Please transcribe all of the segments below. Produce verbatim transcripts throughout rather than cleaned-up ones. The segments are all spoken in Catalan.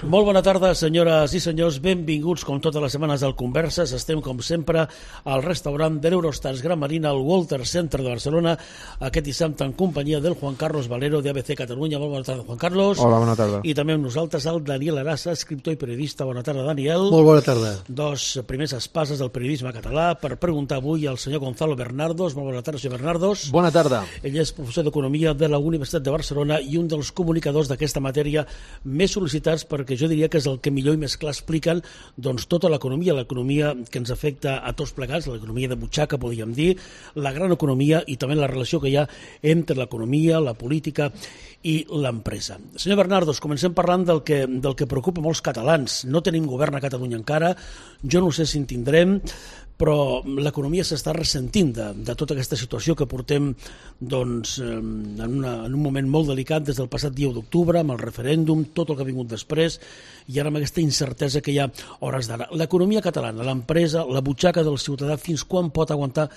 Molt bona tarda, senyores i senyors. Benvinguts, com totes les setmanes, al Converses. Estem, com sempre, al restaurant de l'Eurostars Gran Marina, al Walter Center de Barcelona, aquest dissabte en companyia del Juan Carlos Valero, de A B C Catalunya. Molt bona tarda, Juan Carlos. Hola, bona tarda. I també amb nosaltres el Daniel Arassa, escriptor i periodista. Bona tarda, Daniel. Molt bona tarda. Dos primers espases del periodisme català per preguntar avui al senyor Gonzalo Bernardos. Molt bona tarda, senyor Bernardos. Bona tarda. Ell és professor d'Economia de la Universitat de Barcelona i un dels comunicadors d'aquesta matèria més sol·licitats, perquè jo diria que és el que millor i més clar expliquen doncs, tota l'economia, l'economia que ens afecta a tots plegats, l'economia de butxaca, podríem dir, la gran economia i també la relació que hi ha entre l'economia, la política i l'empresa. Senyor Bernardos, comencem parlant del que, del que preocupa molts catalans. No tenim govern a Catalunya encara, jo no sé si en tindrem, però l'economia s'està ressentint de, de tota aquesta situació que portem doncs, en, una, en un moment molt delicat des del passat dia u d'octubre, amb el referèndum, tot el que ha vingut després, i ara amb aquesta incertesa que hi ha hores d'ara. L'economia catalana, l'empresa, la butxaca del ciutadà, fins quan pot aguantar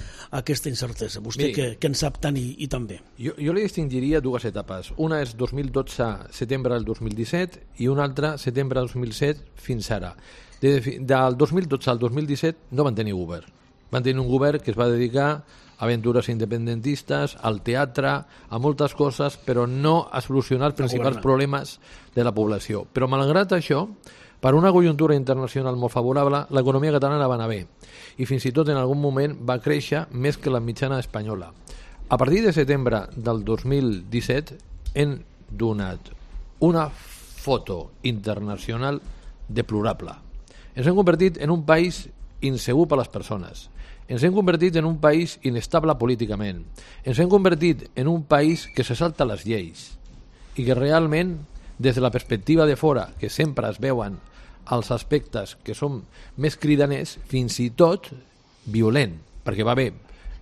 aquesta incertesa? Vostè Miri, que, que en sap tant i, i tan bé. Jo, jo li distingiria dues etapes. Una és dos mil dotze, setembre del dos mil disset, i una altra, setembre del dos mil disset, fins ara. De, del dos mil dotze al dos mil disset no van tenir govern. Van tenir un govern que es va dedicar a aventures independentistes, al teatre, a moltes coses, però no a solucionar els principals problemes de la població. Però malgrat això, per una conjuntura internacional molt favorable, l'economia catalana va anar bé. I fins i tot en algun moment va créixer més que la mitjana espanyola. A partir de setembre del dos mil disset hem donat una foto internacional deplorable. Ens hem convertit en un país insegur per a les persones. Ens hem convertit en un país inestable políticament. Ens hem convertit en un país que se salta les lleis i que realment, des de la perspectiva de fora, que sempre es veuen els aspectes que són més cridaners, fins i tot violent, perquè va haver,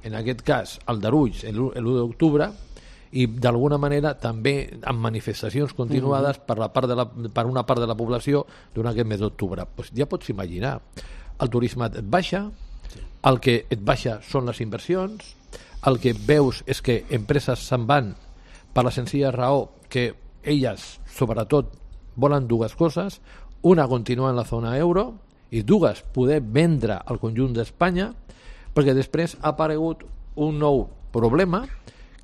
en aquest cas, Aldarulls l'u d'octubre, i d'alguna manera també amb manifestacions continuades per, la part de la, per una part de la població durant aquest mes d'octubre. Pues ja pots imaginar, el turisme et baixa, el que et baixa són les inversions, el que veus és que empreses se'n van per la senzilla raó que elles, sobretot, volen dues coses: una, continuar en la zona euro, i dues, poder vendre al conjunt d'Espanya, perquè després ha aparegut un nou problema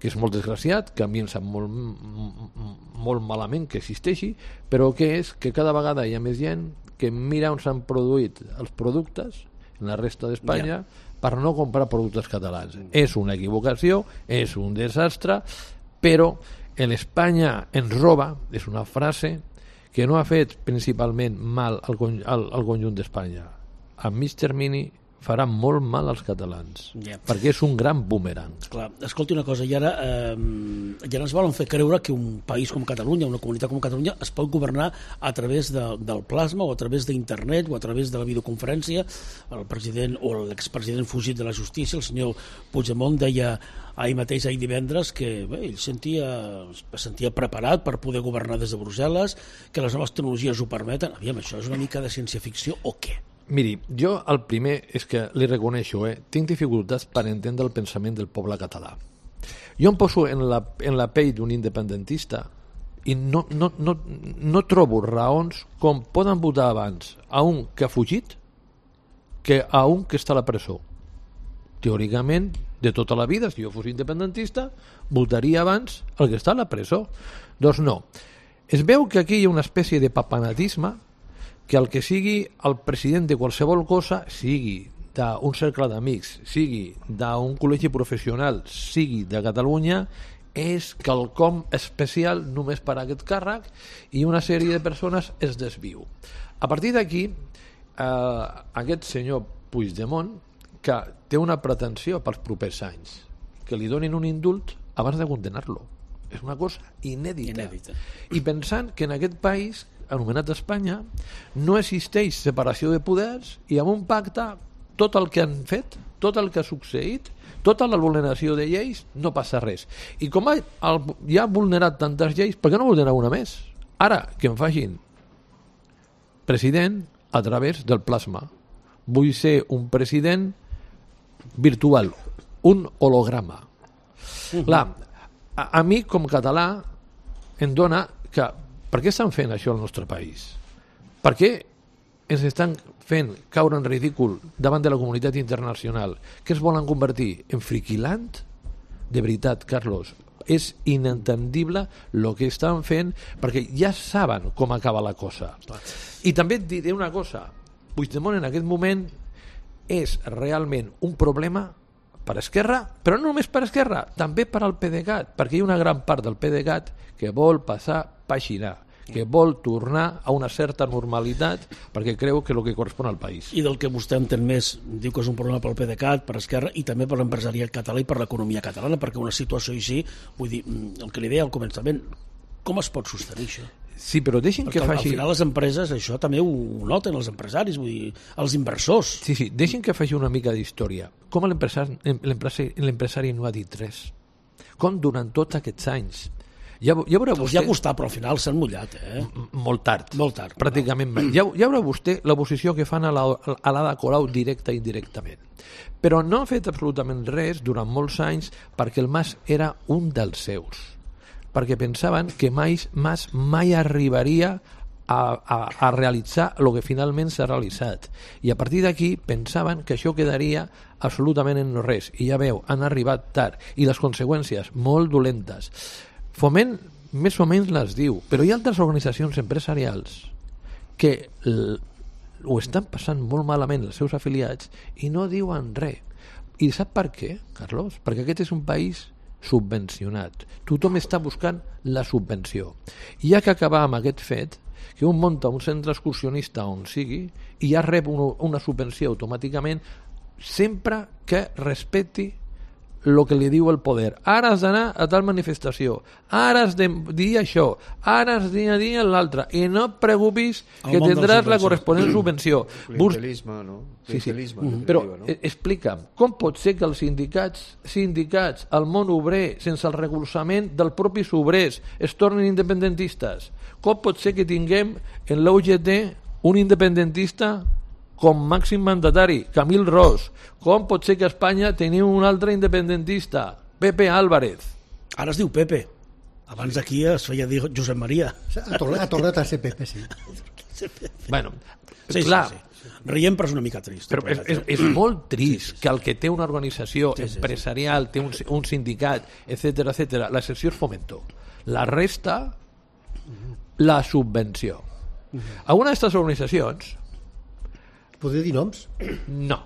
que és molt desgraciat, que a mi em sap molt, molt malament que existeixi, però que és que cada vegada hi ha més gent que mira on s'han produït els productes en la resta d'Espanya yeah. per no comprar productes catalans. Mm. És una equivocació, és un desastre, però l'Espanya ens roba, és una frase que no ha fet principalment mal al, al, al conjunt d'Espanya. A mig termini farà molt mal als catalans, yeah. perquè és un gran boomerang. Clar, escolti una cosa, i ara, eh, ja ens volen fer creure que un país com Catalunya, una comunitat com Catalunya, es pot governar a través de, del plasma o a través d'internet o a través de la videoconferència. El president o l'expresident fugit de la justícia, el senyor Puigdemont, deia ahir mateix, ahir divendres, que bé, ell sentia, es sentia preparat per poder governar des de Brussel·les, que les noves tecnologies ho permeten. Aviam, això és una mica de ciència-ficció o què? Miri, jo el primer és que li reconeixo, eh, tinc dificultats per entendre el pensament del poble català. Jo em poso en la, en la pell d'un independentista i no, no, no, no trobo raons com poden votar abans a un que ha fugit que a un que està a la presó. Teòricament, de tota la vida, si jo fos independentista, votaria abans el que està a la presó. Doncs no. Es veu que aquí hi ha una espècie de papanatisme que el que sigui el president de qualsevol cosa, sigui d'un cercle d'amics, sigui d'un col·legi professional, sigui de Catalunya, és quelcom especial només per a aquest càrrec i una sèrie de persones es desviu. A partir d'aquí, eh, aquest senyor Puigdemont, que té una pretensió pels propers anys, que li donin un indult abans de condenar-lo. És una cosa inèdita. inèdita. I pensant que en aquest país anomenat Espanya, no existeix separació de poders i amb un pacte tot el que han fet, tot el que ha succeït, tota la vulneració de lleis, no passa res. I com ha, el, ja ha vulnerat tantes lleis, per què no vulnerar una més? Ara, que em facin president a través del plasma. Vull ser un president virtual, un holograma. Uh-huh. Clar, a, a mi com català em dona que per què estan fent això al nostre país? Per què ens estan fent caure en ridícul davant de la comunitat internacional? Que es volen convertir en friquiland? De veritat, Carlos, és inentendible el que estan fent, perquè ja saben com acaba la cosa. I també et diré una cosa, Puigdemont en aquest moment és realment un problema per Esquerra, però no només per Esquerra, també per al PDeCAT, perquè hi ha una gran part del PDeCAT que vol passar pàgina, que vol tornar a una certa normalitat perquè creu que és el que correspon al país. I del que vostè entén més, diu que és un problema pel PDeCAT, per Esquerra i també per l'empresariat català i per l'economia catalana, perquè una situació així, vull dir, el que li deia al començament, com es pot sostenir això? Sí, però deixin perquè que faci... al final les empreses, això també ho noten els empresaris, vull dir, els inversors. Sí, sí, deixin que faci una mica d'història. Com l'empresari, l'empresari no ha dit res? Com durant tots aquests anys? Ja, ja veurà vostè... Ja ha costat, però al final s'han mullat, eh? Molt tard. Molt tard. Pràcticament. No. Ja, ja veurà vostè la posició que fan a l'Ada Colau directa i indirectament. Però no han fet absolutament res durant molts anys perquè el Mas era un dels seus. Perquè pensaven que mai, Mas mai arribaria a, a, a realitzar el que finalment s'ha realitzat. I a partir d'aquí pensaven que això quedaria absolutament en no res. I ja veu, han arribat tard. I les conseqüències, molt dolentes. Foment més o menys les diu, però hi ha altres organitzacions empresarials que ho estan passant molt malament els seus afiliats i no diuen res. I sap per què, Carlos? Perquè aquest és un país subvencionat. Tothom està buscant la subvenció. I hi ha que acabar amb aquest fet que un munta un centre excursionista on sigui i ja rep una, una subvenció automàticament sempre que respecti el que li diu el poder. Ara has d'anar a tal manifestació, ara has de dir això, ara has de dir l'altre, i no et preocupis que tindràs la corresponent subvenció. Clientelisme, no? Sí, sí. Mm-hmm. Però no? Explica'm, com pot ser que els sindicats, sindicats, el món obrer, sense el recolzament dels propis obrers, es tornin independentistes? Com pot ser que tinguem en l'U G T un independentista com màxim mandatari, Camil Ros? Com pot ser que a Espanya tenim un altre independentista, Pepe Álvarez? Ara es diu Pepe. Abans aquí es feia dir Josep Maria. Ha tornat, ha tornat a ser Pepe, sí. Bueno, sí, clar, sí, sí. Riem, però és una mica trist. Però és, és, és molt trist sí, sí, sí. que el que té una organització sí, sí, empresarial, té un, un sindicat, etcètera, etcètera, l'excepció és Fomento. La resta, la subvenció. Alguna d'aquestes organitzacions... Poder dir noms? No.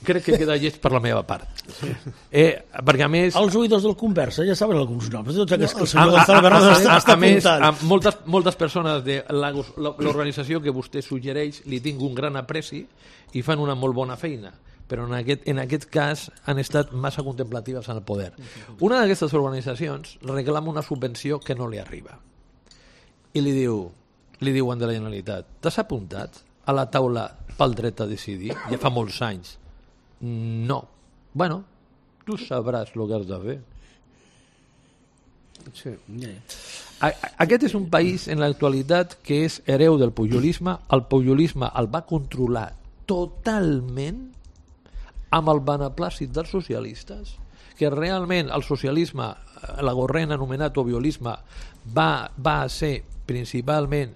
Crec que queda llest per la meva part. Eh, perquè a més... Els oïdors del Conversa ja saben alguns noms. No, que el a, senyor a, Gonzalo Bernat a, està, a, està a més, apuntant. a moltes, moltes persones de l'organització que vostè suggereix li tinc un gran apreci i fan una molt bona feina, però en aquest, en aquest cas han estat massa contemplatives en el poder. Una d'aquestes organitzacions reclama una subvenció que no li arriba i li diu, li diuen de la Generalitat: t'has apuntat a la taula pel dret a decidir? Ja fa molts anys. No. Bueno, tu sabràs el que has de fer. Sí. Aquest és un país en l'actualitat que és hereu del pujolisme. El pujolisme el va controlar totalment amb el beneplàcit dels socialistes, que realment el socialisme, l'agorrent anomenat obiolisme, va, va ser principalment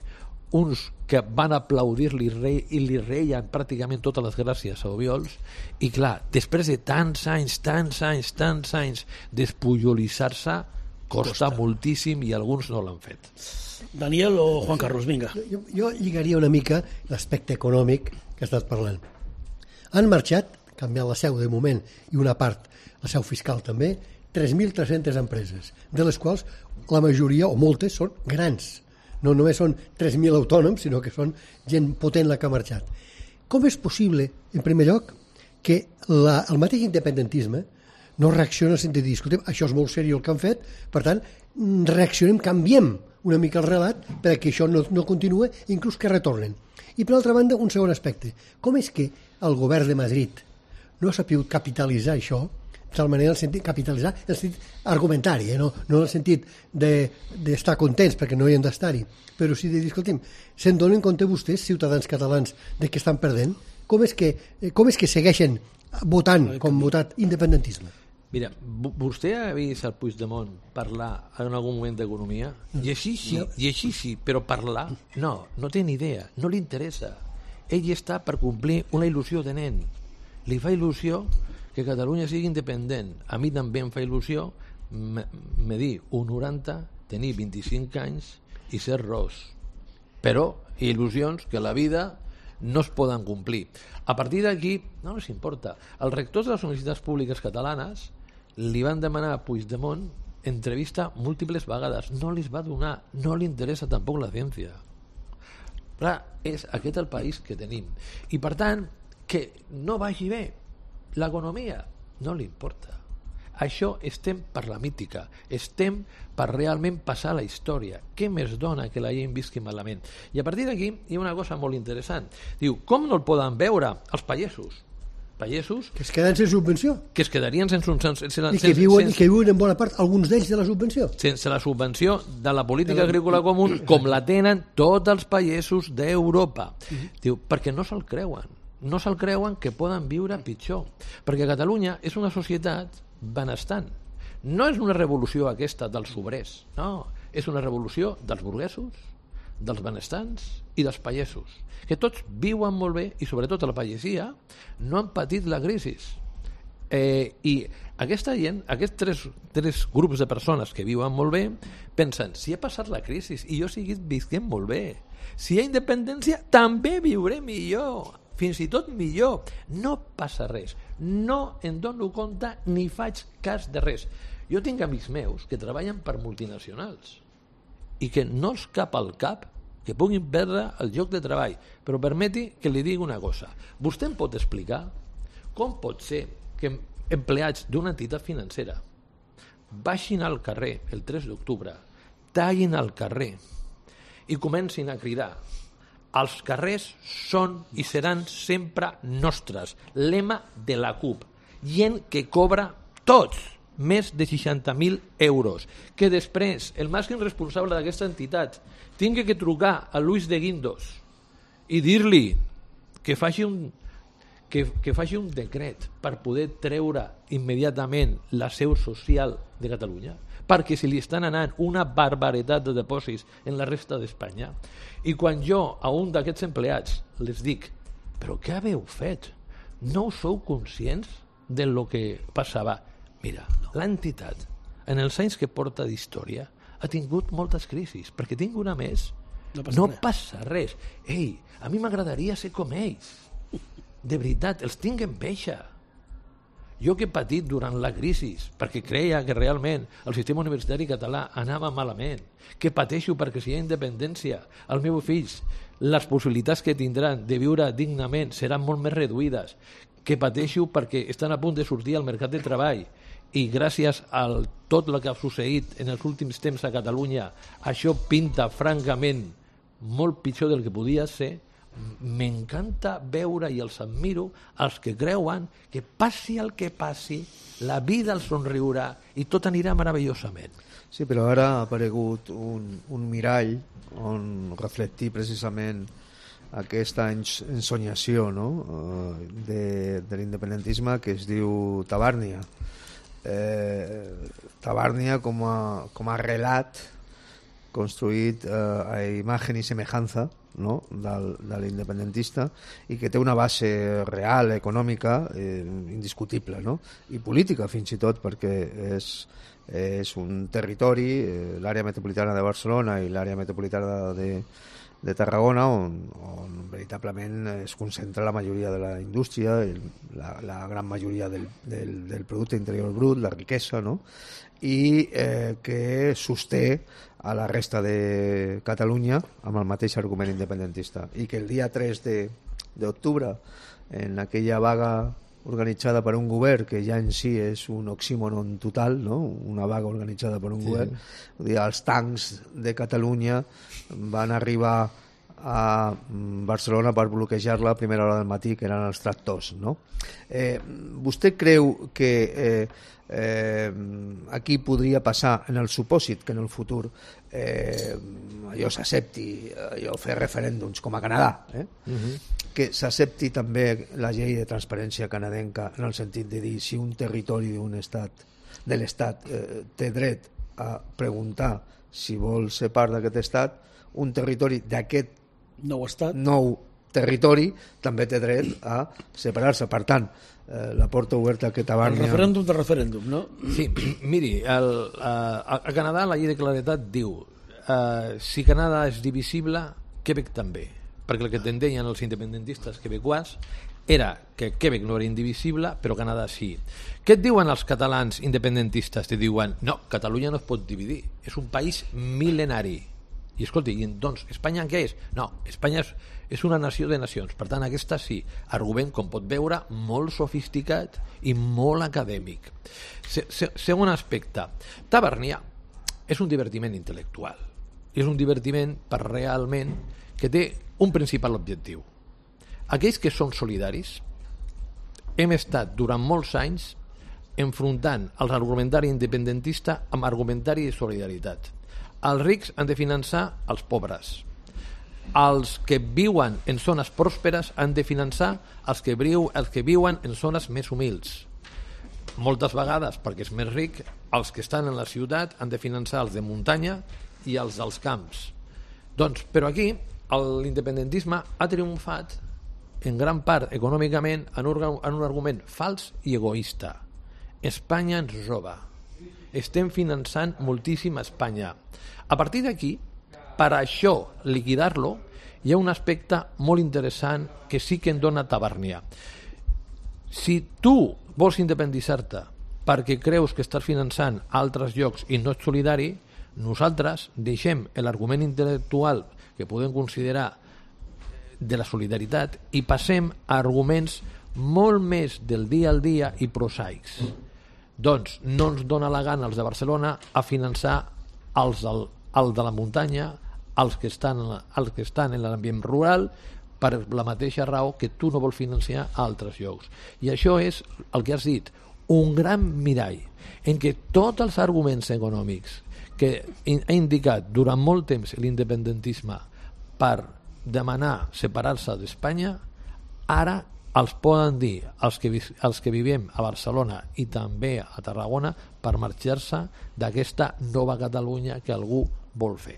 uns que van aplaudir-li i li reien pràcticament totes les gràcies a Obiols. I clar, després de tants anys, tants anys, tants anys despujolitzar-se costa, costa moltíssim i alguns no l'han fet. Daniel o Juan Carlos, vinga. Jo, jo lligaria una mica l'aspecte econòmic que estàs parlant. Han marxat, canviant la seu de moment i una part, la seu fiscal també, tres mil tres-centes empreses, de les quals la majoria o moltes són grans. No només són tres mil autònoms, sinó que són gent potent la que ha marxat. Com és possible, en primer lloc, que la, el mateix independentisme no reacciona en sentit de dir, escoltem, això és molt seriós el que han fet, per tant, reaccionem, canviem una mica el relat perquè això no, no continua, inclús que retornen. I per altra banda, un segon aspecte. Com és que el govern de Madrid no ha sabut capitalitzar això, de tal manera, el sentit capitalitzar, el sentit argumentari, eh? no, no en el sentit d'estar de, contents, perquè no hi hem d'estar-hi, però sí de dir, escolti'm, se'n donen compte vostès, ciutadans catalans, de que estan perdent? Com és que, com és que segueixen votant com votat independentisme? Mira, vostè ha vist el Puigdemont parlar en algun moment d'economia? I així sí, i així sí, però parlar? No, no té ni idea, no li interessa. Ell està per complir una il·lusió de nen. Li fa il·lusió que Catalunya sigui independent. A mi també em fa il·lusió medir un noranta, tenir vint-i-cinc anys i ser ros. Però il·lusions que la vida no es poden complir. A partir d'aquí, no els importa. Els rectors de les universitats públiques catalanes li van demanar a Puigdemont entrevista múltiples vegades. No li va donar, no li interessa tampoc la ciència. Clar, és aquest el país que tenim. I per tant, que no vagi bé l'economia, no li importa. Això estem per la mítica, estem per realment passar la història. Què més dona que la gent visqui malament? I a partir d'aquí hi ha una cosa molt interessant. Diu, com no el poden veure els pagesos? Pagesos... Que es queden sense subvenció. Que es quedarien sense... sense, sense I que viuen, sense, que viuen en bona part, alguns d'ells, de la subvenció. Sense la subvenció de la política agrícola comú, com la tenen tots els pagesos d'Europa. Uh-huh. Diu, perquè no se'l creuen. No se'l creuen que poden viure pitjor. Perquè Catalunya és una societat benestant. No és una revolució aquesta dels obrers, no, és una revolució dels burguesos, dels benestants i dels pagesos, que tots viuen molt bé i sobretot a la pagesia no han patit la crisi. Eh, I aquesta gent, aquests tres, tres grups de persones que viuen molt bé, pensen, si ha passat la crisi i jo seguit visquem molt bé, si hi ha independència també viuré millor, fins i tot millor, no passa res, no em dono compte ni faig cas de res. Jo tinc amics meus que treballen per multinacionals i que no els cap al cap que puguin perdre el lloc de treball, però permeti que li digui una cosa. Vostè em pot explicar com pot ser que empleats d'una entitat financera baixin al carrer el tres d'octubre, tallin al carrer i comencin a cridar: els carrers són i seran sempre nostres. Lema de la CUP. Gent que cobra tots més de seixanta mil euros. Que després el màxim responsable d'aquesta entitat tingui que trucar a Luis de Guindos i dir-li que faci un, que, que faci un decret per poder treure immediatament la seu social de Catalunya, perquè se li estan anant una barbaritat de dipòsits en la resta d'Espanya. I quan jo a un d'aquests empleats les dic, però què haveu fet? No sou conscients de lo que passava? Mira, l'entitat, en els anys que porta d'història, ha tingut moltes crisis, perquè tinc una més. No passa, no res. passa res. Ei, a mi m'agradaria ser com ells. De veritat, els tinc enveja. Jo que he patit durant la crisi, perquè creia que realment el sistema universitari català anava malament, que pateixo perquè si hi ha independència, els meus fills, les possibilitats que tindran de viure dignament seran molt més reduïdes, que pateixo perquè estan a punt de sortir al mercat de treball i gràcies a tot el que ha succeït en els últims temps a Catalunya, això pinta francament molt pitjor del que podia ser. M'encanta veure i els admiro els que creuen que passi el que passi, la vida els somriurà i tot anirà meravellosament. Sí, però ara ha aparegut un, un mirall on reflectir precisament aquesta ensonyació, no? de, de l'independentisme que es diu Tabàrnia. Eh, Tabàrnia com a, com a relat construït eh, a imagen i semejança, no? del, de l'independentista, i que té una base real, econòmica, eh, indiscutible, no? i política fins i tot, perquè és, és un territori, eh, l'àrea metropolitana de Barcelona i l'àrea metropolitana de, de Tarragona, on, on veritablement es concentra la majoria de la indústria, la, la gran majoria del, del, del producte interior brut, la riquesa, no? i eh, que sosté a la resta de Catalunya amb el mateix argument independentista, i que el dia tres d'octubre, en aquella vaga organitzada per un govern que ja en si és un oxímoron total, no? una vaga organitzada per un sí. govern, vull dir, els tancs de Catalunya van arribar a Barcelona per bloquejar-la a primera hora del matí, que eren els tractors, no? Eh, vostè creu que eh, eh, aquí podria passar, en el supòsit que en el futur eh, allò s'accepti, allò fer referèndums com a Canadà, eh? uh-huh. que s'accepti també la llei de transparència canadenca en el sentit de dir si un territori d'un estat, de l'estat eh, té dret a preguntar si vol ser part d'aquest estat, un territori d'aquest nou estat, nou territori també té dret a separar-se. Per tant, eh, la porta oberta que Tabàrnia... El referèndum de referèndum, no? Sí, miri, el, a, a Canadà la llei de claredat diu eh, si Canadà és divisible, Quebec també, perquè el que tendeien els independentistes quebecois era que Quebec no era indivisible, però Canadà sí. Què et diuen els catalans independentistes? Te diuen, no, Catalunya no es pot dividir, és un país mil·lenari. I escolti, i doncs Espanya què és? No, Espanya és, és una nació de nacions, per tant aquesta sí, argument com pot veure molt sofisticat i molt acadèmic. Se, se, segon aspecte, Tabàrnia és un divertiment intel·lectual, és un divertiment per realment que té un principal objectiu. Aquells que són solidaris hem estat durant molts anys enfrontant els argumentari independentista amb argumentari de solidaritat. Els rics han de finançar els pobres. Els que viuen en zones pròsperes han de finançar els que, viu, els que viuen en zones més humils. Moltes vegades, perquè és més ric, els que estan en la ciutat han de finançar els de muntanya i els dels camps. Doncs, però aquí l'independentisme ha triomfat en gran part econòmicament en un, en un argument fals i egoista. Espanya ens roba. Estem finançant moltíssim a Espanya. A partir d'aquí, per això liquidar-lo, hi ha un aspecte molt interessant que sí que en dona Tabàrnia. Si tu vols independitzar-te perquè creus que estàs finançant altres llocs i no ets solidari, nosaltres deixem l'argument intel·lectual que podem considerar de la solidaritat i passem a arguments molt més del dia al dia i prosaics. Doncs no ens dona la gana els de Barcelona a finançar els del, el de la muntanya, els que estan, els que estan en l'ambient rural, per la mateixa raó que tu no vols financiar a altres llocs. I això és el que has dit, un gran mirall en què tots els arguments econòmics que ha indicat durant molt temps l'independentisme per demanar separar-se d'Espanya, ara els poden dir els que, els que vivim a Barcelona i també a Tarragona per marxar-se d'aquesta nova Catalunya que algú vol fer.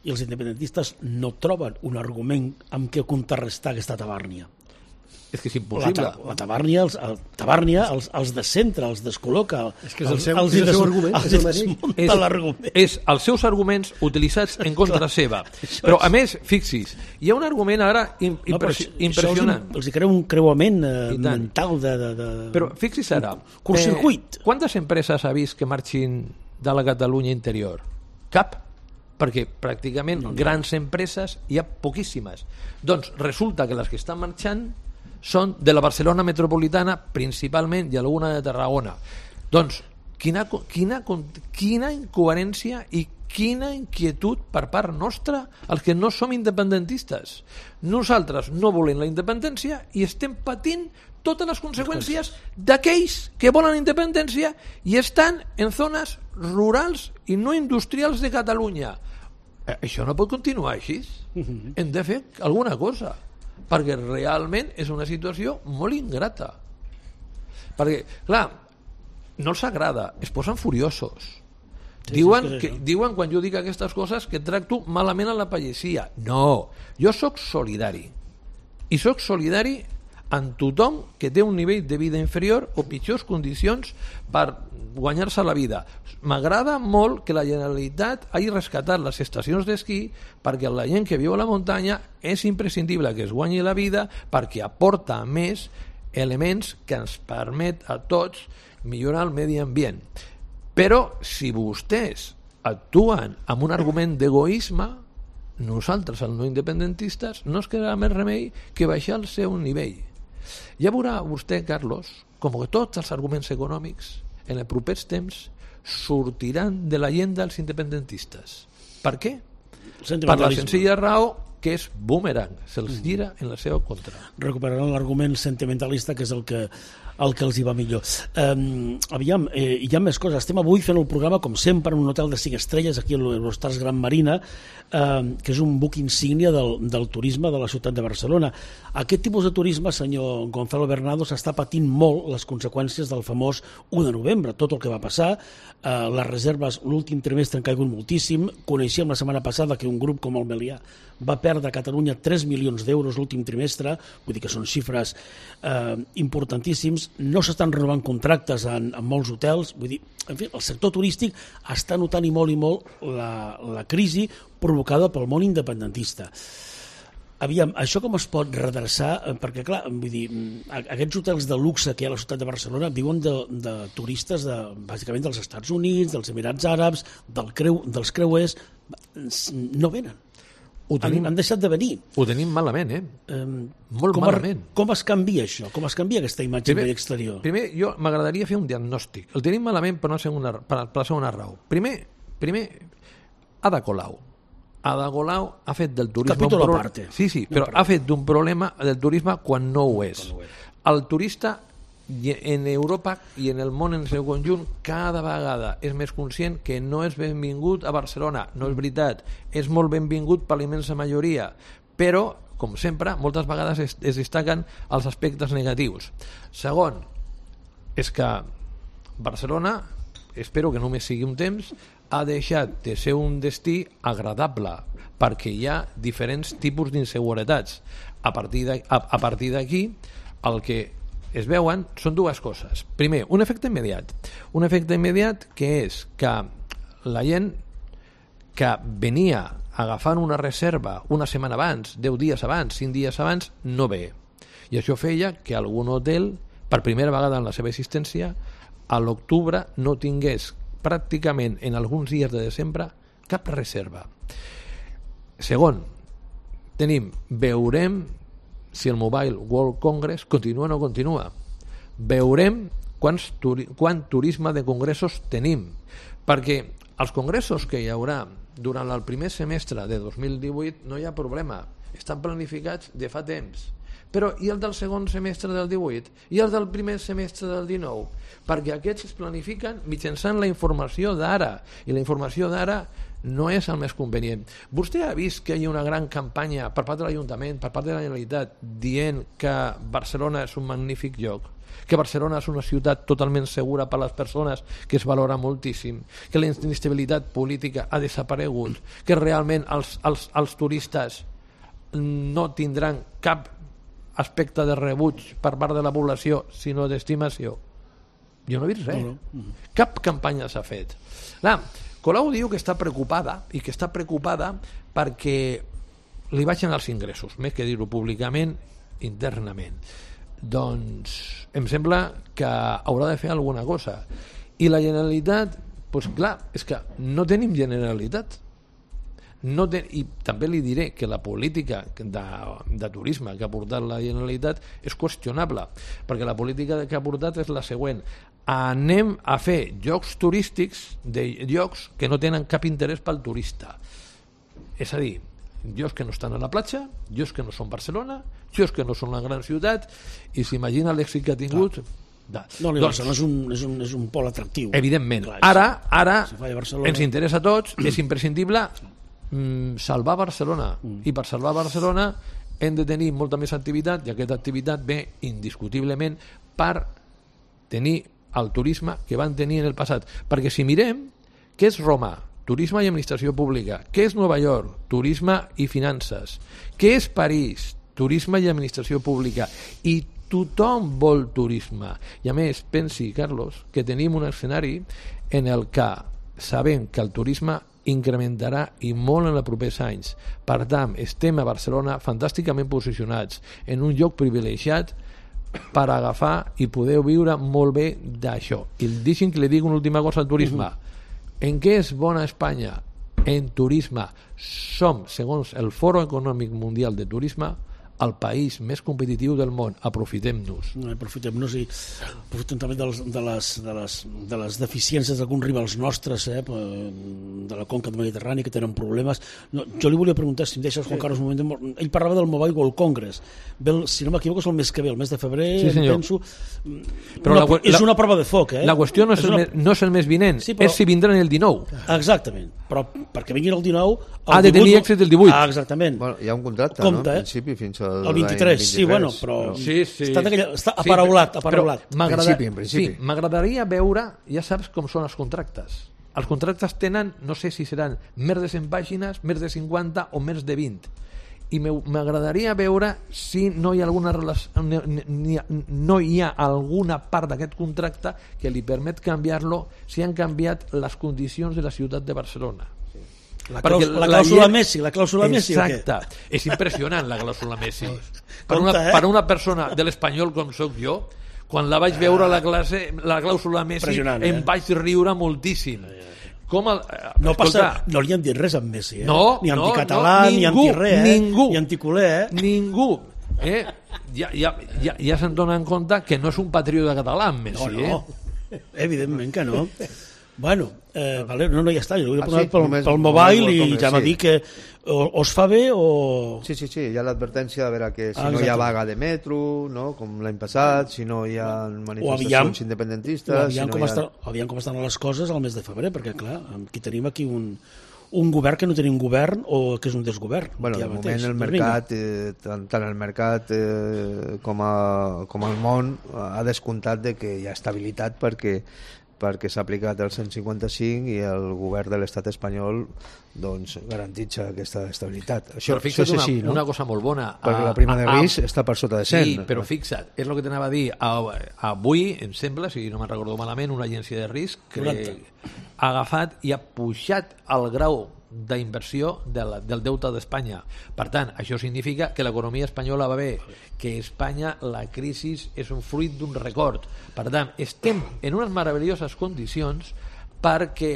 I els independentistes no troben un argument amb què contrarrestar aquesta Tabàrnia. És que és impossible. La, la Tabàrnia, els, el, Tabàrnia els, els descentra, els descol·loca. És que és el seu, els, és el seu argument. Els, els desmunta és, l'argument. És els seus arguments utilitzats en contra Clar, seva. Però, a més, fixis, hi ha un argument ara impressionant. No, impressionant. Els, els hi creu un creuament eh, mental de, de, de... Però fixis ara. Curtcircuit. Eh, quantes empreses ha vist que marxin de la Catalunya interior? Cap. Perquè pràcticament no, no. grans empreses hi ha poquíssimes. Doncs resulta que les que estan marxant són de la Barcelona metropolitana principalment i alguna de Tarragona. Doncs quina, quina, quina incoherència i quina inquietud per part nostra els que no som independentistes. Nosaltres no volem la independència i estem patint totes les conseqüències d'aquells que volen independència i estan en zones rurals i no industrials de Catalunya. Això no pot continuar així. Hem de fer alguna cosa, perquè realment és una situació molt ingrata. Perquè, clar, no els agrada, es posen furiosos. Sí, diuen, sí, que, diuen, quan jo dic aquestes coses, que tracto malament a la pagesia. No, jo sóc solidari. I sóc solidari amb tothom que té un nivell de vida inferior o pitjors condicions per guanyar-se la vida. M'agrada molt que la Generalitat hagi rescatat les estacions d'esquí perquè la gent que viu a la muntanya és imprescindible que es guanyi la vida perquè aporta més elements que ens permet a tots millorar el medi ambient. Però si vostès actuen amb un argument d'egoisme, nosaltres, els no independentistes, no es quedarà més remei que baixar el seu nivell. Ja veurà vostè, Carlos, com que tots els arguments econòmics en els propers temps sortiran de la llegenda dels independentistes. Per què? Per la senzilla raó que és boomerang, se'ls gira en la seva contra. Recuperaran l'argument sentimentalista, que és el que el que els hi va millor. Um, aviam, eh, hi ha més coses. Estem avui fent el programa, com sempre, en un hotel de cinc estrelles, aquí a l'Eurostars Gran Marina, eh, que és un buc insígnia del, del turisme de la ciutat de Barcelona. Aquest tipus de turisme, senyor Gonzalo Bernardo, s'està patint molt les conseqüències del famós u de novembre, tot el que va passar. Eh, les reserves l'últim trimestre han caigut moltíssim. Coneixíem la setmana passada que un grup com el Melià va perdre a Catalunya tres milions d'euros l'últim trimestre, vull dir que són xifres eh, importantíssims. No s'estan renovant contractes en, en molts hotels, vull dir, en fi, el sector turístic està notant i molt i molt la, la crisi provocada pel món independentista. Aviam, això com es pot redreçar? Perquè, clar, vull dir, aquests hotels de luxe que hi ha a la ciutat de Barcelona viuen de, de turistes, de, bàsicament dels Estats Units, dels Emirats Àrabs, del creu, dels creuers, no venen. Ho tenim, han, han deixat de venir. Ho tenim malament, eh? Um, Molt com malament. A, com es canvia això? Com es canvia aquesta imatge primer, exterior? Primer, jo m'agradaria fer un diagnòstic. El tenim malament per una segona, per, per la segona raó. Primer, primer Ada Colau. Ada Colau ha fet del turisme... Capítol pro... a parte. Sí, sí, però ha fet d'un problema del turisme quan no ho és. No ho és. El turista en Europa i en el món en el seu conjunt cada vegada és més conscient que no és benvingut a Barcelona. No és veritat, és molt benvingut per la immensa majoria, però, com sempre, moltes vegades es, es destaquen els aspectes negatius. Segon, és que Barcelona, espero que només sigui un temps, ha deixat de ser un destí agradable, perquè hi ha diferents tipus d'inseguretats. A partir de, a, a partir d'aquí, el que es veuen són dues coses. Primer, un efecte immediat. Un efecte immediat que és que la gent que venia agafant una reserva una setmana abans, deu dies abans, cinc dies abans, no ve. I això feia que algun hotel, per primera vegada en la seva existència, a l'octubre no tingués pràcticament en alguns dies de desembre cap reserva. Segon, tenim, veurem si el Mobile World Congress continua o no continua. Veurem quants turi quant turisme de congressos tenim, perquè els congressos que hi haurà durant el primer semestre de dos mil divuit no hi ha problema, estan planificats de fa temps. Però i el del segon semestre del divuit? I el del primer semestre del dinou? Perquè aquests es planifiquen mitjançant la informació d'ara, i la informació d'ara no és el més convenient. Vostè ha vist que hi ha una gran campanya per part de l'Ajuntament, per part de la Generalitat, dient que Barcelona és un magnífic lloc, que Barcelona és una ciutat totalment segura per a les persones, que es valora moltíssim, que la inestabilitat política ha desaparegut, que realment els, els, els turistes no tindran cap aspecte de rebuig per part de la població, sinó d'estimació. Jo no he vist res. No, no. Cap campanya s'ha fet. Clar, Colau diu que està preocupada i que està preocupada perquè li baixen els ingressos, més que dir-ho públicament, internament. Doncs em sembla que haurà de fer alguna cosa. I la Generalitat, doncs clar, és que no tenim Generalitat. No ten... I també li diré que la política de, de turisme que ha portat la Generalitat és qüestionable, perquè la política que ha portat és la següent: anem a fer llocs turístics de llocs que no tenen cap interès pel turista, és a dir, llocs que no estan a la platja, llocs que no són Barcelona, llocs que no són una gran ciutat, i s'imagina l'èxit que ha tingut. De... No, doncs, no és, un, és, un, és un pol atractiu. Evidentment. Clar, ara ara si ens interessa a tots, és imprescindible mm, salvar Barcelona, mm. i per salvar Barcelona hem de tenir molta més activitat, i aquesta activitat ve indiscutiblement per tenir el turisme que van tenir en el passat. Perquè si mirem què és Roma, turisme i administració pública, què és Nova York, turisme i finances, què és París, turisme i administració pública, i tothom vol turisme. I a més, pensi, Carlos, que tenim un escenari en el que sabem que el turisme incrementarà i molt en els propers anys. Per tant, estem a Barcelona fantàsticament posicionats en un lloc privilegiat per agafar i poder viure molt bé d'això. I deixin que li digui una última cosa al turisme. Uh-huh. En què és bona Espanya? En turisme. Som, segons el Foro Econòmic Mundial de Turisme, el país més competitiu del món. Aprofitem-nos. No, aprofitem-nos i aprofitem també de les, de les, de les, de les deficiències d'alguns rivals nostres, eh, de la conca mediterrània, que tenen problemes. No, jo li volia preguntar, si em deixes, Juan Carlos, un moment. Ell parlava del Mobile World Congress. Ve el, si no m'equivoco, és el mes que ve, el mes de febrer, sí, senyor. penso. Però una, la, és la, una prova de foc, eh? La qüestió no és, és el, una... mes, no és el mes vinent, sí, però... és si vindran el dinou. Exactament, però perquè vinguin el dinou... El ha de tenir èxit el divuit. Ah, exactament. Bueno, hi ha un contracte, compte, no? En eh? principi, fins al el vint-i-tres, sí, bueno, però... però... Sí, sí. Està, aquella, està aparaulat, aparaulat. En principi, en principi. Sí, m'agradaria veure, ja saps com són els contractes. Els contractes tenen, no sé si seran més de cent pàgines, més de cinquanta o més de vint. I m'agradaria veure si no hi ha alguna relació, no hi ha alguna part d'aquest contracte que li permet canviar-lo si han canviat les condicions de la ciutat de Barcelona. La, claus, la, la clàusula la Messi, la clàusula Messi o què? Exacte, és impressionant la clàusula Messi. Per Compte, una, eh? per una persona de l'Espanyol com sóc jo, quan la vaig veure a la classe, la clàusula Messi, eh? em vaig riure moltíssim. Com el, no, escolta, passa, no li han dit res amb Messi, eh? No, ni anticatalà, no, no, ni ningú, antirrer, eh? ningú, ni anticuler, eh? Ningú. Eh? Ja, ja, ja, ja se'n donen compte que no és un patriota català, Messi. No, no. Eh? Evidentment que no. Bueno, eh, vale, no, no, ja està, jo l'he Ah, posat sí? pel, Només- pel mobile només i Congress, ja m'ha sí. dit que o, o es fa bé o... Sí, sí, sí, hi ha l'advertència de veure que si Ah, no hi ha exacte. vaga de metro, no? Com l'any passat, si no hi ha O manifestacions aviam, independentistes... o aviam, si no com hi ha... està, aviam com estan les coses al mes de febrer, perquè clar, aquí tenim aquí un, un govern que no tenim govern o que és un desgovern. Bueno, aquí de ja moment mateix. el Doncs mercat, eh, tant, tant el mercat eh, com, a, com el món ha descomptat de que hi ha estabilitat perquè perquè s'ha aplicat el cent cinquanta-cinc i el govern de l'estat espanyol doncs, garantitza aquesta estabilitat. Això, Però això fixa't és així, una, no? una cosa molt bona. Perquè A- la prima de a- a- risc està per sota de cent. Sí, però fixa't, és el que t'anava a dir. A- Avui, em sembla, si no me'n recordo malament, una agència de risc que ha agafat i ha pujat el grau d'inversió de la, del deute d'Espanya. Per tant, això significa que l'economia espanyola va bé, que a Espanya la crisi és un fruit d'un record. Per tant, estem en unes meravelloses condicions perquè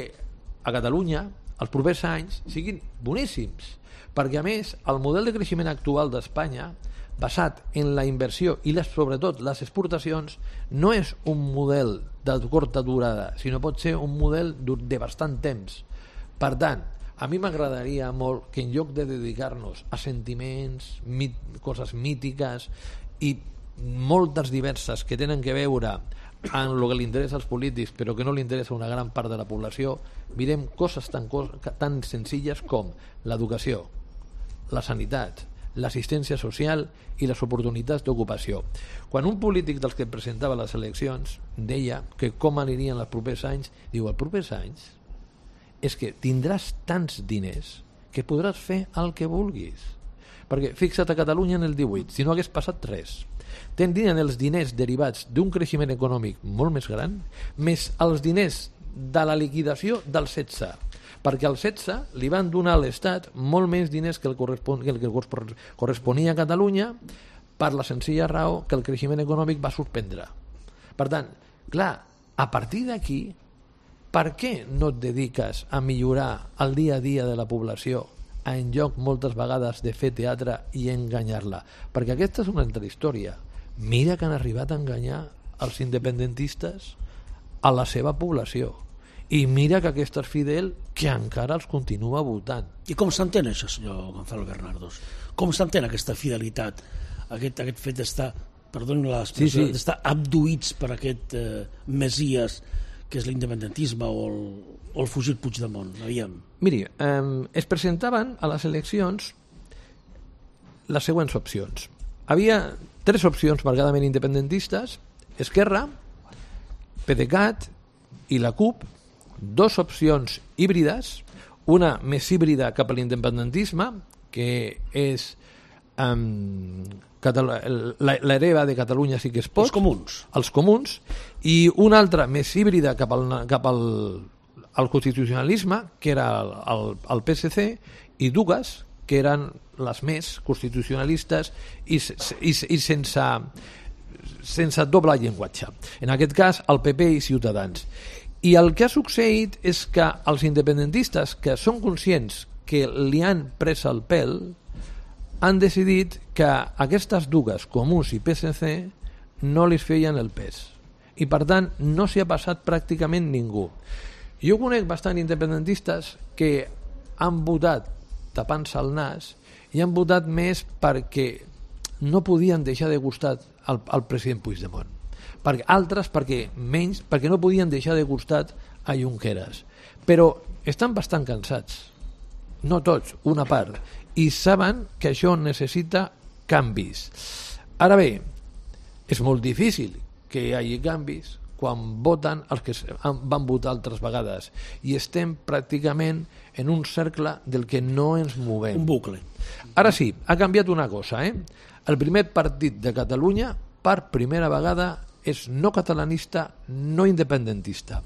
a Catalunya els propers anys siguin boníssims. Perquè, a més, el model de creixement actual d'Espanya, basat en la inversió i les, sobretot les exportacions, no és un model de curta durada, sinó pot ser un model de bastant temps. Per tant, a mi m'agradaria molt que en lloc de dedicar-nos a sentiments, mit, coses mítiques i moltes diverses que tenen que veure amb el que li interessa als polítics però que no li interessa a una gran part de la població, mirem coses tan, tan senzilles com l'educació, la sanitat, l'assistència social i les oportunitats d'ocupació. Quan un polític dels que presentava les eleccions deia que com anirien els propers anys, diu, els propers anys és que tindràs tants diners que podràs fer el que vulguis. Perquè fixa't a Catalunya en el divuit, si no hagués passat res, tindrien els diners derivats d'un creixement econòmic molt més gran, més els diners de la liquidació del setze, perquè al setze li van donar a l'Estat molt més diners que el, correspon, que el que corresponia a Catalunya per la senzilla raó que el creixement econòmic va suspendre. Per tant, clar, a partir d'aquí, per què no et dediques a millorar el dia a dia de la població en lloc moltes vegades de fer teatre i enganyar-la? Perquè aquesta és una altra història. Mira que han arribat a enganyar els independentistes a la seva població. I mira que aquest és fidel que encara els continua votant. I com s'entén això, senyor Gonzalo Bernardos? Com s'entén aquesta fidelitat, aquest, aquest fet d'estar, perdonin l'expressió, sí, sí. d'estar abduïts per aquest eh, messies que és l'independentisme o el, o el fugit Puigdemont? Aviam. Miri, eh, es presentaven a les eleccions les següents opcions. Havia tres opcions marcadament independentistes: Esquerra, PDeCAT i la CUP, dos opcions híbrides, una més híbrida cap a l'independentisme, que és um, l'hereva de Catalunya sí que es pot, els comuns, els comuns, i una altra més híbrida cap al, cap al, al constitucionalisme, que era el, el, el P S C, i dues, que eren les més constitucionalistes i, i, i sense, sense doble llenguatge. En aquest cas, el P P i Ciutadans. I el que ha succeït és que els independentistes, que són conscients que li han pres el pèl, han decidit que aquestes dues, Comuns i P S C, no li feien el pes. I per tant no s'hi ha passat pràcticament ningú. Jo conec bastant independentistes que han votat tapant-se el nas i han votat més perquè no podien deixar de gustar al, al president Puigdemont. Per, altres perquè menys, perquè no podien deixar de gustar a Junqueras. Però estan bastant cansats. No tots, una part. I saben que això necessita canvis. Ara bé, és molt difícil que hi hagi canvis quan voten els que van votar altres vegades i estem pràcticament en un cercle del que no ens movem. Un bucle. Ara sí, ha canviat una cosa, eh? El primer partit de Catalunya per primera vegada és no catalanista, no independentista.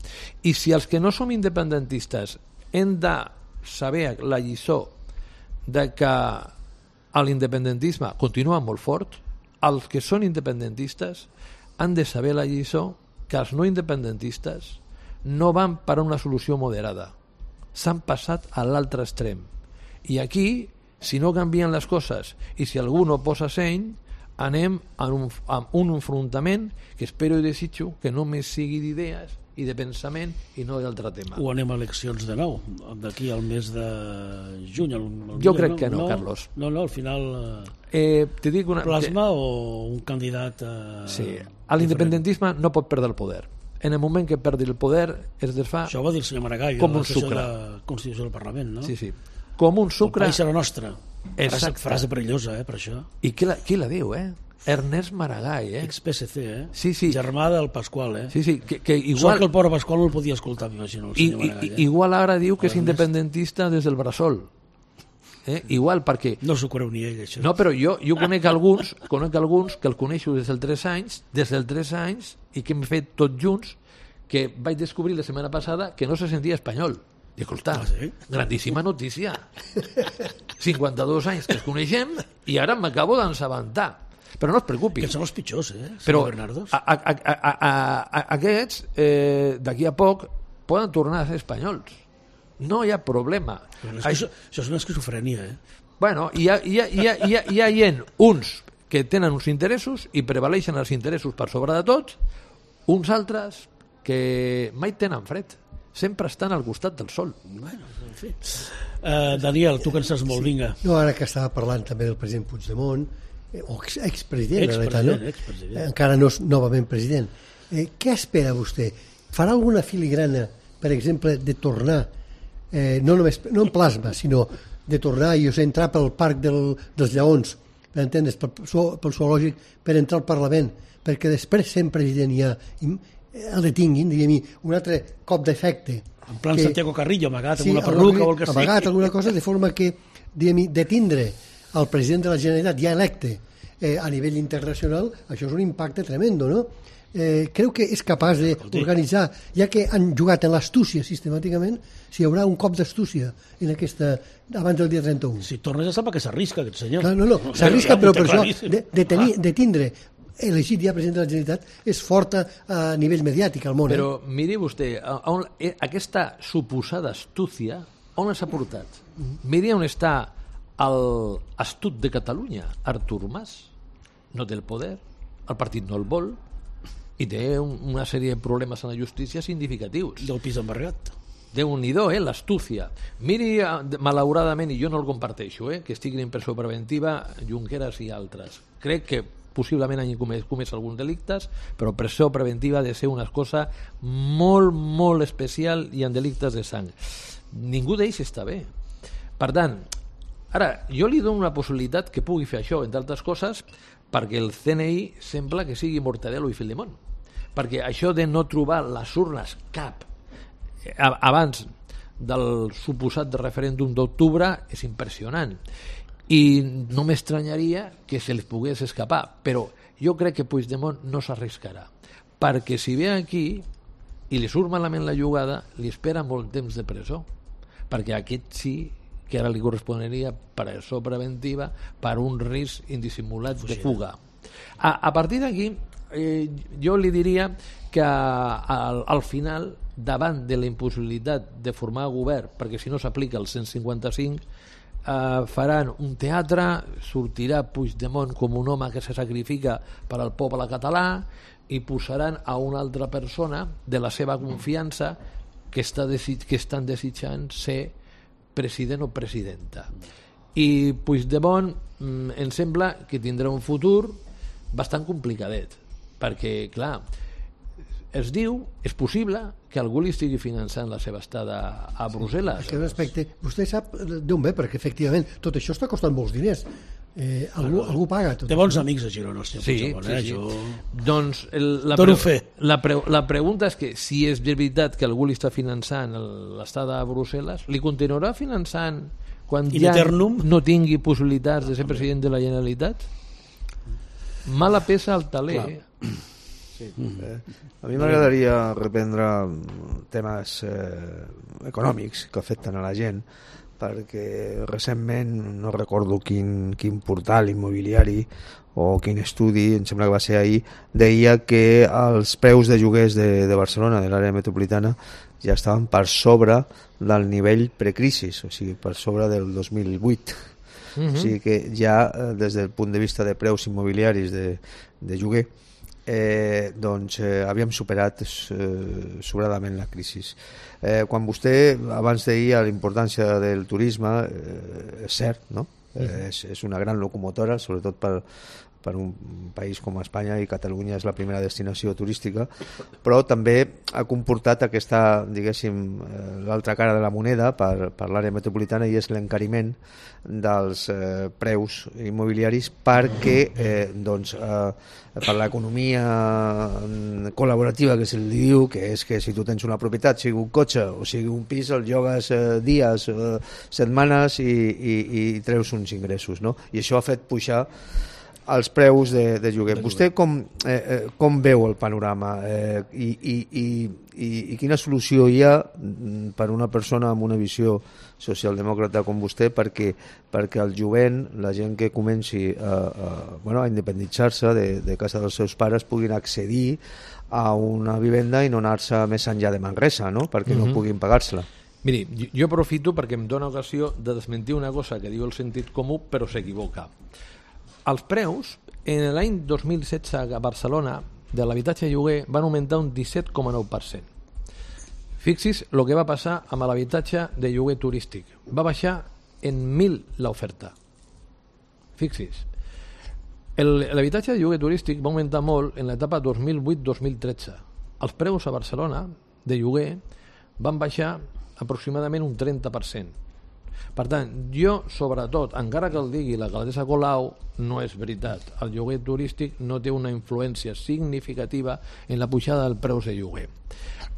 I si els que no som independentistes hem de saber la lliçó de que l'independentisme continua molt fort, els que són independentistes han de saber la lliçó que els no independentistes no van per a una solució moderada. S'han passat a l'altre extrem. I aquí, si no canvien les coses i si algú no posa seny, anem a un, a un enfrontament que espero i desitjo que només sigui d'idees i de pensament i no d'altre tema. O anem a eleccions de nou, d'aquí al mes de juny. El, el jo crec no, que no, no, Carlos. No, no, al final eh, te dic una, plasma te... o un candidat eh, sí. L'independentisme no pot perdre el poder. En el moment que perdi el poder es desfà... Això ho va dir el senyor Maragall, com a un la sessió sucre. de la Constitució del Parlament, no? Sí, sí. Com un sucre... El país serà nostre. Frase, Exacte. frase perillosa, eh, per això. I qui la, qui la diu, eh? Ernest Maragall, eh? Ex-P S C, eh? Sí, sí. Germà del Pasqual, eh? Sí, sí, que, que Igual... igual... Sort que el pobre Pasqual no el podia escoltar, m'imagino, el I, senyor Maragall. i, Eh? igual ara diu que és Ernest. independentista des del bressol. Eh? Igual, perquè... No s'ho creu ni ell, això. No, però jo, jo conec alguns conec alguns que el coneixo des dels tres anys, des dels tres anys, i que hem fet tots junts, que vaig descobrir la setmana passada que no se sentia espanyol. I escolta, Ah, sí? grandíssima notícia. cinquanta-dos anys que els coneixem i ara m'acabo d'ensabentar. Però no es preocupi. Que són els pitjors, eh? Però senyor Bernardos. a, a, a, a, a, a, aquests, eh, d'aquí a poc, poden tornar a ser espanyols. No hi ha problema. Però és que això, això és una esquizofrènia, eh? Bueno, hi ha, hi ha, hi ha, hi ha, hi ha gent, uns que tenen uns interessos i prevaleixen els interessos per sobre de tots, uns altres que mai tenen fred, sempre estan al costat del sol. Bueno, en fi. Uh, Daniel, tu que en saps molt, sí. Vinga. No, ara que estava parlant també del president Puigdemont, eh, o ex expresident, en realitat, no? expresident. Eh, encara no és novament president. Eh, què espera vostè? Farà alguna filigrana, per exemple, de tornar, eh, no només no en plasma, sinó de tornar, jo sé, entrar pel Parc del, dels Lleons, per entendre's, pel, pel zoològic, per entrar al Parlament, perquè després sent president ja el detinguin, diguem-hi, un altre cop d'efecte. En plan que, Santiago Carrillo, amagat sí, amb una perruca o el que sigui. Amagat alguna cosa, de forma que, diguem-hi, detindre el president de la Generalitat ja electe eh, a nivell internacional, això és un impacte tremendo, no? Eh, creu que és capaç d'organitzar, ja que han jugat en l'astúcia sistemàticament, si hi haurà un cop d'astúcia en aquesta, abans del dia trenta-u. Si torna ja sap que s'arrisca aquest senyor. Clar, no, no, s'arrisca, però per això claríssim. de, de, tenir, de tindre elegit ja president de la Generalitat és forta a nivell mediàtic al món. Però eh? miri vostè, a, on, eh, aquesta suposada astúcia, on les ha portat? Miri on està l'astut de Catalunya, Artur Mas. No té el poder, el partit no el vol, i té un, una sèrie de problemes en la justícia significatius. Del pis embargat. Déu-n'hi-do, eh, l'astúcia. Miri, malauradament, i jo no el comparteixo, eh, que estiguin en presó preventiva Junqueras i altres. Crec que possiblement hagin comès, comès alguns delictes, però presó preventiva ha de ser una cosa molt, molt especial i en delictes de sang. Ningú d'ells està bé. Per tant, ara, jo li dono una possibilitat que pugui fer això, entre altres coses, perquè el C N I sembla que sigui Mortadelo i Filemón. Perquè això de no trobar les urnes cap abans del suposat referèndum d'octubre és impressionant. I no m'estranyaria que se li pogués escapar, però jo crec que Puigdemont no s'arriscarà, perquè si ve aquí i li surt malament la jugada, li espera molt temps de presó, perquè aquest sí que ara li corresponeria presó preventiva per un risc indissimulat de fuga. A, a partir d'aquí, eh, jo li diria que al, al final, davant de la impossibilitat de formar govern, perquè si no s'aplica el cent cinquanta-cinc, eh, faran un teatre, sortirà Puigdemont com un home que se sacrifica per al poble català i posaran a una altra persona de la seva confiança que, està desig que estan desitjant ser president o presidenta. I Puigdemont mm, em sembla que tindrà un futur bastant complicadet, perquè, clar, es diu, és possible que algú li estigui finançant la seva estada a Brussel·les. Sí, respecte, vostè sap d'on ve, perquè efectivament tot això està costant molts diners. Eh, algú, algú paga tot. Té bons amics a Girona, el senyor sí, Puigdemont, sí, eh? sí. Jo... Doncs el, la, Dono pre fe. la, pre la pregunta és que si és veritat que algú li està finançant l'estada a Brussel·les, li continuarà finançant quan In ja eternum? no tingui possibilitats de ser president de la Generalitat? Mala peça al taler. Clar. Sí. Eh, a mi m'agradaria reprendre temes eh, econòmics que afecten a la gent, perquè recentment, no recordo quin, quin portal immobiliari o quin estudi, em sembla que va ser ahir, deia que els preus de lloguers de, de Barcelona, de l'àrea metropolitana, ja estaven per sobre del nivell precrisis, o sigui, per sobre del dos mil vuit. Uh-huh. O sigui que ja, des del punt de vista de preus immobiliaris de, de lloguer, eh, doncs eh, havíem superat eh, sobradament la crisi. Eh, quan vostè abans deia la importància del turisme, eh, és cert, no? Eh, és, és una gran locomotora, sobretot per, per un país com Espanya, i Catalunya és la primera destinació turística, però també ha comportat aquesta, diguéssim, eh, l'altra cara de la moneda per, per l'àrea metropolitana, i és l'encariment dels eh, preus immobiliaris, perquè eh, doncs, eh, per l'economia col·laborativa que se li diu, que és que si tu tens una propietat, sigui un cotxe o sigui un pis, el llogues eh, dies, eh, setmanes i, i, i treus uns ingressos, no? I això ha fet pujar els preus de, de lloguer. Vostè com, eh, eh, com veu el panorama eh, i, i, i, i, i quina solució hi ha per una persona amb una visió socialdemòcrata com vostè perquè, perquè el jovent, la gent que comenci a, a, bueno, a independitzar-se de, de casa dels seus pares, puguin accedir a una vivenda i no anar-se més enllà de Manresa, no? Perquè mm-hmm. no puguin pagar-se-la. Miri, jo, jo aprofito perquè em dóna ocasió de desmentir una cosa que diu el sentit comú però s'equivoca. Els preus, en l'any dos mil setze a Barcelona, de l'habitatge lloguer van augmentar un disset coma nou per cent. Fixis el que va passar amb l'habitatge de lloguer turístic. Va baixar en mil l'oferta. Fixis. L'habitatge de lloguer turístic va augmentar molt en l'etapa dos mil vuit dos mil tretze. Els preus a Barcelona de lloguer van baixar aproximadament un trenta per cent. Per tant, jo, sobretot, encara que el digui l'alcaldessa Colau, no és veritat. El lloguer turístic no té una influència significativa en la pujada del preus de lloguer.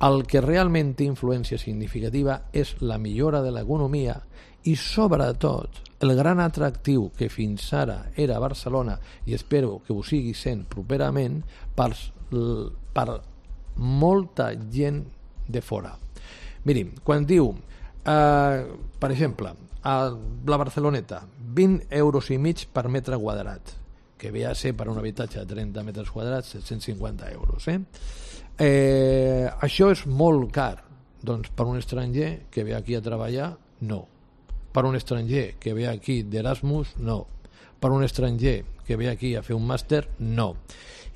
El que realment té influència significativa és la millora de l'economia i, sobretot, el gran atractiu que fins ara era Barcelona, i espero que ho sigui sent properament, per, per molta gent de fora. Miri, quan diu, eh, per exemple, a la Barceloneta, vint euros i mig per metre quadrat, que ve a ser per un habitatge de trenta metres quadrats set-cents cinquanta euros. Eh? Eh, això és molt car. Doncs per un estranger que ve aquí a treballar, no. Per un estranger que ve aquí d'Erasmus, no. Per un estranger que ve aquí a fer un màster, no.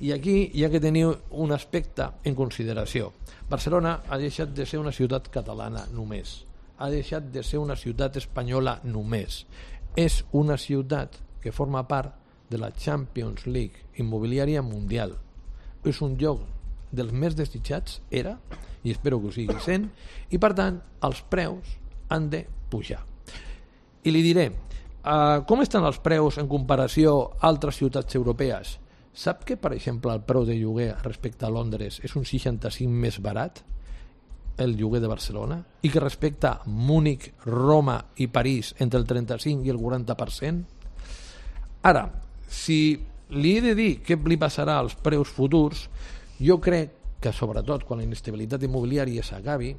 I aquí hi ha que tenir un aspecte en consideració. Barcelona ha deixat de ser una ciutat catalana només. Ha deixat de ser una ciutat espanyola només. És una ciutat que forma part de la Champions League immobiliària mundial. És un lloc dels més desitjats, era, i espero que ho sigui sent, i per tant els preus han de pujar. I li diré, uh, com estan els preus en comparació a altres ciutats europees? Sap que, per exemple, el preu de lloguer respecte a Londres és un seixanta-cinc més barat, el lloguer de Barcelona, i que respecte a Múnich, Roma i París entre el trenta-cinc i el quaranta per cent? Ara, si li he de dir què li passarà als preus futurs, jo crec que sobretot quan la inestabilitat immobiliària s'acabi,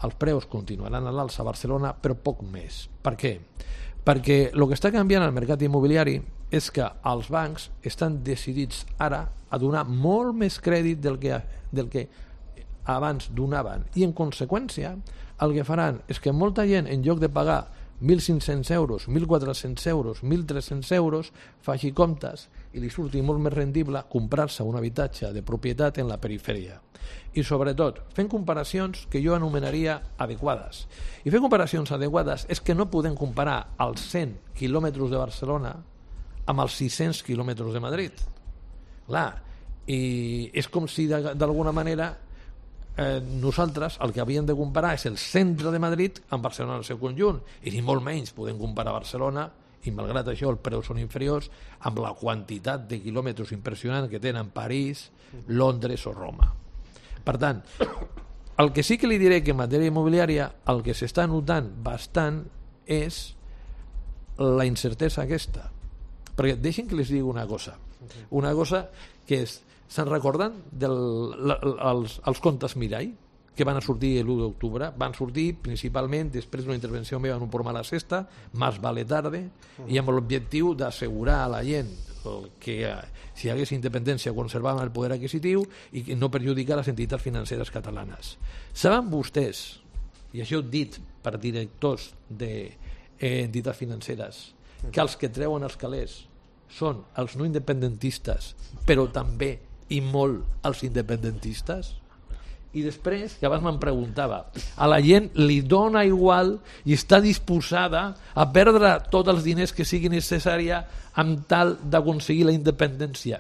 els preus continuaran a l'alça a Barcelona, però poc més. Per què? Perquè el que està canviant al mercat immobiliari és que els bancs estan decidits ara a donar molt més crèdit del que, del que abans donaven, i en conseqüència el que faran és que molta gent, en lloc de pagar mil cinc-cents euros, mil quatre-cents euros, mil tres-cents euros, faci comptes i li surti molt més rendible comprar-se un habitatge de propietat en la perifèria. I sobretot, fent comparacions que jo anomenaria adequades. I fer comparacions adequades és que no podem comparar els cent quilòmetres de Barcelona amb els sis-cents quilòmetres de Madrid. Clar, i és com si d'alguna manera eh, nosaltres el que havíem de comparar és el centre de Madrid amb Barcelona en el seu conjunt, i ni molt menys podem comparar Barcelona, i malgrat això els preus són inferiors, amb la quantitat de quilòmetres impressionant que tenen París, Londres o Roma. Per tant, el que sí que li diré que en matèria immobiliària el que s'està notant bastant és la incertesa aquesta. Perquè deixin que les digui una cosa. Una cosa que és, se'n recorden dels els contes Mirall que van a sortir l'u d'octubre? Van sortir principalment després d'una intervenció meva en un programa a la sexta, Más vale tarde, i amb l'objectiu d'assegurar a la gent que si hi hagués independència conservaven el poder adquisitiu i que no perjudicar les entitats financeres catalanes. Saben vostès, i això dit per directors d'entitats financeres, que els que treuen els calés són els no independentistes, però també i molt els independentistes? I després, que abans me'n preguntava, a la gent li dona igual i està disposada a perdre tots els diners que sigui necessària amb tal d'aconseguir la independència.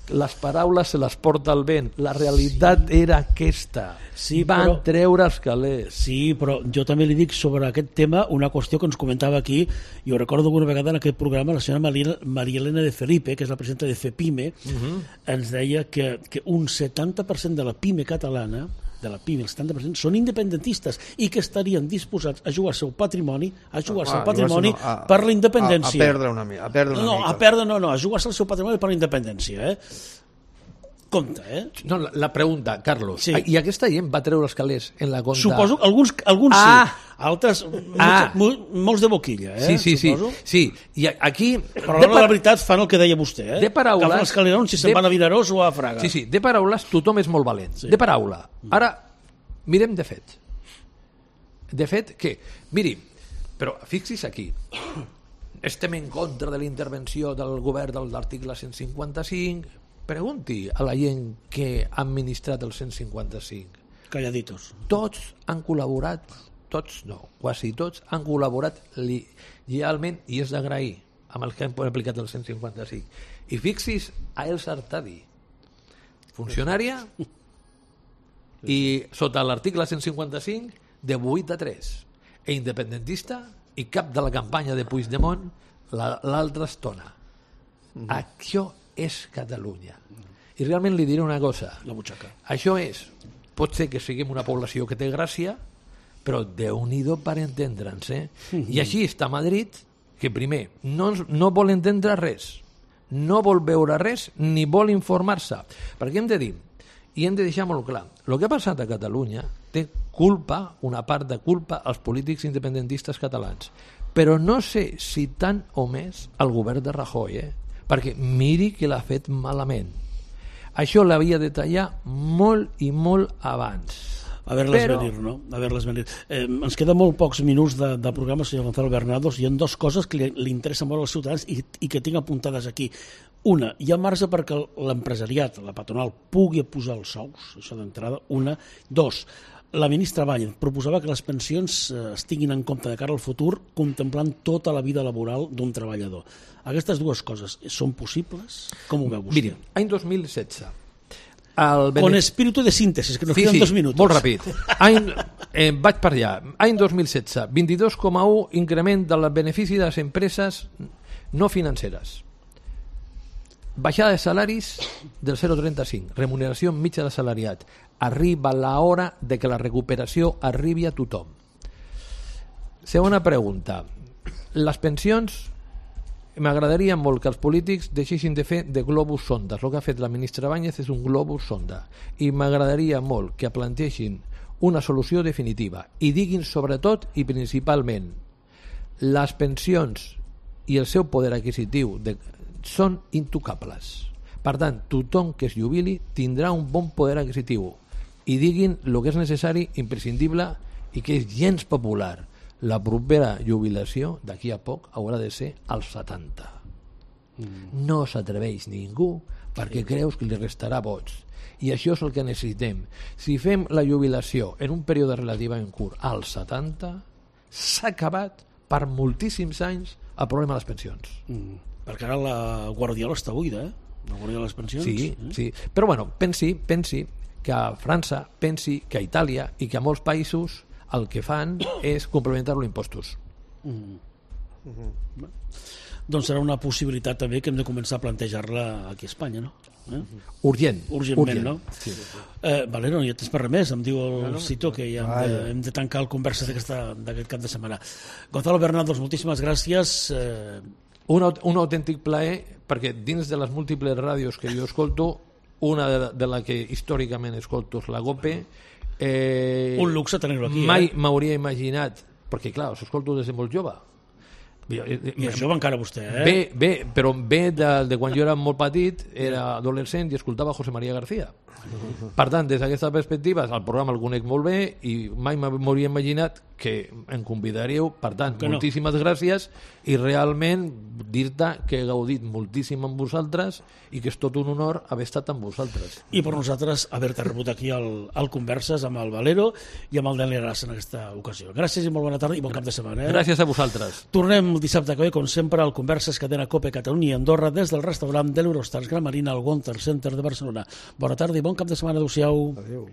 Les paraules se les porta el vent. La realitat sí. era aquesta. Sí, Van però... treure els calés. Sí, però jo també li dic sobre aquest tema una qüestió que ens comentava aquí. Jo recordo alguna vegada en aquest programa la senyora Maria Elena de Felipe, que és la presidenta de FEPIME, uh-huh. ens deia que, que un setanta per cent de la PIME catalana de la PIME, el setanta per cent, són independentistes i que estarien disposats a jugar el seu patrimoni, a jugar el seu patrimoni no, a, per la independència. A, a perdre una, a perdre una no, mica. A perdre, no, no, a jugar el seu patrimoni per la independència, eh? Compte, eh? No, la, la pregunta, Carlos, sí. I aquesta gent va treure els calés en la compta? Suposo que alguns, alguns ah. sí, altres ah. molts, molts de boquilla, eh? Sí, sí, suposo. sí, sí. I aquí... Però de par... la veritat fan el que deia vostè, eh? De paraules... Que fan els calerons si se'n de... van a Vinaròs o a Fraga. Sí, sí, de paraules tothom és molt valent. Sí. De paraula. Ara, mirem de fet. De fet que... Miri, però fixis aquí. Estem en contra de la intervenció del govern de l'article cent cinquanta-cinc... Pregunti a la gent que ha administrat el cent cinquanta-cinc. Calladitos. Tots han col·laborat, tots no, quasi tots han col·laborat legalment i és d'agrair amb els que han aplicat el cent cinquanta-cinc. I fixis a Elsa Artadi, funcionària i sota l'article cent cinquanta-cinc de vuit a tres, e independentista i cap de la campanya de Puigdemont l'altra estona. Mm-hmm. Això és Catalunya. I realment li diré una cosa. La butxaca. Això és, pot ser que siguem una població que té gràcia, però Déu-n'hi-do per entendre'ns, eh? Mm-hmm. I així està Madrid, que primer no, no vol entendre res, no vol veure res, ni vol informar-se. Perquè hem de dir, i hem de deixar molt clar, el que ha passat a Catalunya té culpa, una part de culpa, als polítics independentistes catalans. Però no sé si tant o més al govern de Rajoy, eh? Perquè miri que l'ha fet malament. Això l'havia de tallar molt i molt abans. A veure-les Però... venir, no? A veure-les venir. Eh, ens queden molt pocs minuts de, de programa, senyor Gonzalo Bernados, i hi ha dues coses que li, li interessen molt als ciutadans i, i que tinc apuntades aquí. Una, hi ha marge perquè l'empresariat, la patronal, pugui posar els sous, això d'entrada. Una. Dos, la ministra Báñez proposava que les pensions eh, es tinguin en compte de cara al futur, contemplant tota la vida laboral d'un treballador. Aquestes dues coses són possibles? Com ho veu vostè? Miri, any dos mil setze... El Con espíritu de síntesis, que nos sí, queden sí, dos minuts. Molt ràpid. Any, eh, vaig per allà. Any dos mil setze, vint-i-dos coma u increment del benefici de les empreses no financeres. Baixada de salaris del zero coma trenta-cinc. Remuneració mitja de salariat. Arriba l'hora de que la recuperació arribi a tothom. Segona pregunta. Les pensions... M'agradaria molt que els polítics deixessin de fer de globus sonda. El que ha fet la ministra Báñez és un globus sonda. I m'agradaria molt que plantegin una solució definitiva i diguin sobretot i principalment les pensions i el seu poder adquisitiu de, són intocables. Per tant, tothom que es jubili tindrà un bon poder adquisitiu i diguin el que és necessari, imprescindible i que és gens popular. la propera jubilació d'aquí a poc haurà de ser als setanta. Mm. No s'atreveix ningú perquè creus que li restarà vots. I això és el que necessitem. Si fem la jubilació en un període relativament curt als setanta, s'ha acabat per moltíssims anys el problema de les pensions. Mm. Perquè ara la Guardiola està buida, eh? La Guardiola de les pensions. Sí, eh? sí. Però bueno, pensi, pensi que a França, pensi que a Itàlia i que a molts països el que fan és complementar-lo impostos. Mm. Mm-hmm. Doncs serà una possibilitat també que hem de començar a plantejar-la aquí a Espanya, no? Eh? Urgent. Urgentment, urgent. no? Sí. Eh, Valero, ja tens per res més, em diu el Bueno, Cito que ja hem de, vale. hem de tancar el conversa d'aquest cap de setmana. Gonzalo Bernardos, moltíssimes gràcies. Eh, Un, aut- un autèntic plaer, perquè dins de les múltiples ràdios que jo escolto, una de, de la que històricament escolto és la GOPE. Eh, un luxe tenir-lo aquí, mai eh? m'hauria imaginat, perquè clar, us escolto des de molt jove. I això va encara vostè, eh? Bé, bé, però bé de, de quan jo era molt petit, era adolescent i escoltava José María García. Per tant, des d'aquesta perspectiva, el programa el conec molt bé i mai m'hauria imaginat que em convidaríeu. Per tant, Que no. moltíssimes gràcies i realment dir-te que he gaudit moltíssim amb vosaltres i que és tot un honor haver estat amb vosaltres. I per nosaltres haver-te rebut aquí al, al Converses amb el Valero i amb el Dani Aràs en aquesta ocasió. Gràcies i molt bona tarda i bon cap de setmana. Eh? Gràcies a vosaltres. Tornem el dissabte que ve, com sempre, al Converses Cadena Cope Catalunya i Andorra des del restaurant de l'Eurostars Gran Marina al Gonter Center de Barcelona. Bona tarda i bon cap de setmana. Adéu-siau. Adéu.